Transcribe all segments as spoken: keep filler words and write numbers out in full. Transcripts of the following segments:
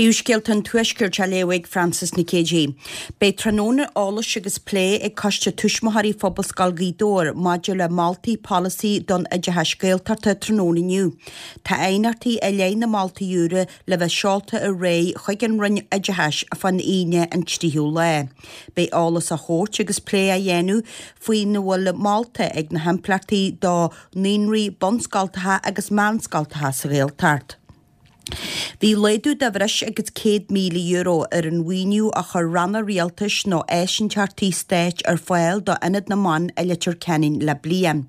Príomhscéalta an Tuaiscirt á léamh ag Frances Nic Géadaigh. Beidh tráthnóna eolais agus plé ag Coiste Tuismitheoirí Phobalscoil Ghaoth Dobhair maidir le moltaí polasaí don oideachas Gaeltachta tráthnóna inniu. Tá aighneachtaí i leith na moltaí úra le bheith seolta ar aghaidh chuig an Roinn Oideachais fán Aoine an tríú lá. Beidh eolas á thabhairt agus plé á dhéanamh faoina bhfuil molta ag na himpleachtaí do naíonraí, bunscoltacha agus meánscoltacha sa Ghaeltacht. Bhí laghdú de bhreis agus céad míle euro ar an mhaoiniú a chuir ranna rialtais nó áisínteachtaí stáit ar fáil do Ionad na mBan i Leitir Ceanainn le bliain.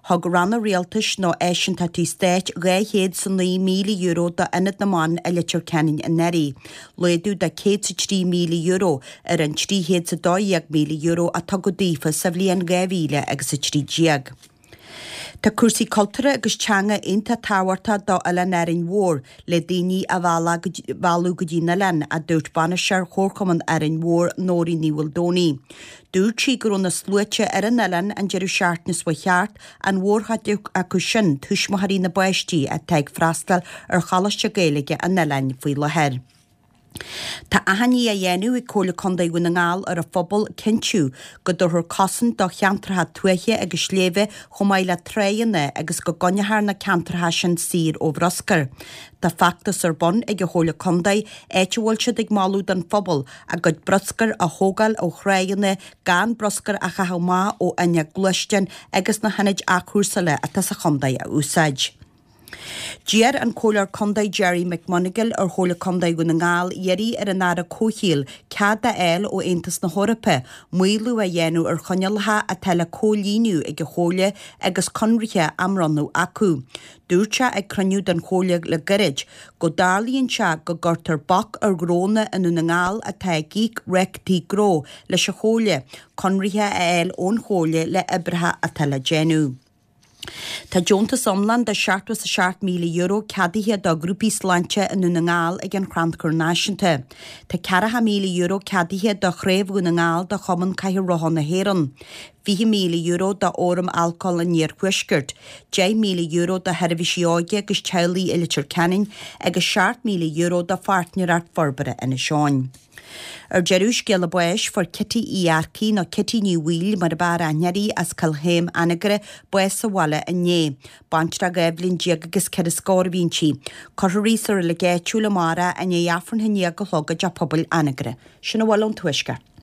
Thug ranna rialtais nó áisínteachtaí stáit dhá chéad 's a naoi míle euro do Ionad na mBan i Leitir Ceanainn anuraidh, laghdú de céad 's a trí míle euro ar an trí chéad 's a dó dhéag míle euro a tugadh daofa sa bhliain dhá mhíle agus a trí déag. Tá cúrsaí cultúrtha agus teanga iontach tábhachtach do Oileán Árainn Mhór le daoine a mhealladh go dtí an oileán, a dúirt bainisteoir Chomharchumann Árainn Mhór, Nóirín Ní Mhaoldomhnaigh. Dúirt sí go raibh na sluaite ar an oileán an deireadh seachtaine seo chuaigh thart, an mhórchuid acu sin tuismitheoirí na bpáistí atá ag freastal ar Choláiste Gaeilge an oileáin faoi láthair. Tá achainí á dhéanamh ag Comhairle Contae Dhún na nGall ar an phobal cinntiú go dtabharfar cosaint do cheantracha tuaithe agus sléibhe chomh maith le tráigheanna agus go gcoinneofar na ceantracha sin saor ó bhruscar. Tá feachtas ar bun ag an Chomhairle Contae áit a bhfuil siad ag moladh don phobal a gcuid bruscair a thógáil ó thráigheanna gan bruscar a chaitheamh amach ó fhuinneog gluaisteáin agus na hionaid athchúrsála atá sa chontae a úsáid. D'iarr an Comhairleoir Contae Gerry McMonagall ar Chomhairle Contae Dhún na nGall iarraidh ar an Aire Comhshaoil cead a fháil ó Aontas na hEorpa maolú a dhéanamh ar choinníollacha atá le comhlíonadh ag an Chomhairle agus conraithe á mbronnadh acu. Dúirt sé ag cruinniú den Chomhairle le gairid go dtarlaíonn sé go gcuirtear bac ar ghnónna i nDún na nGall atá ag íoc rátaí gnó leis an Chomhairle conraithe a fháil ón Chomhairle le oibreacha atá le déanamh. Tá deontas iomlán de seachtó is a seacht míle euro ceadaithe do ghrúpaí sláinte i nDún na nGall ag an Chrannchur Náisiúnta. Tá ceathracha míle euro ceadaithe do Chraobh Dhún na nGall de Chumann Cathaoir Rotha na hÉireann, fiche míle euro do Fhóram Alcóil an Iarthuaiscirt, deich míle euro do Sheirbhísí Óige agus Teaghlaigh i Leitir Ceanainn agus seacht míle euro do Pháirtnéireacht Forbartha Inis Eoghain. Ar deireadh, scéala báis, fuair Kitty Uí Earcaigh, nó Kitty Ní Bhaoill mar ab fhearr aithne uirthi, as Cill Chéim, Anagaire, bás sa bhaile inné. Baintreach dhá bhliain déag agus ceithre scór a bhí inti. Cuirfear í sa reilig áitiúil amárach i ndiaidh Aifreann a haon déag a chlog i dTeach Pobail Anagaire. Sin a bhfuil ón Tuaisceart.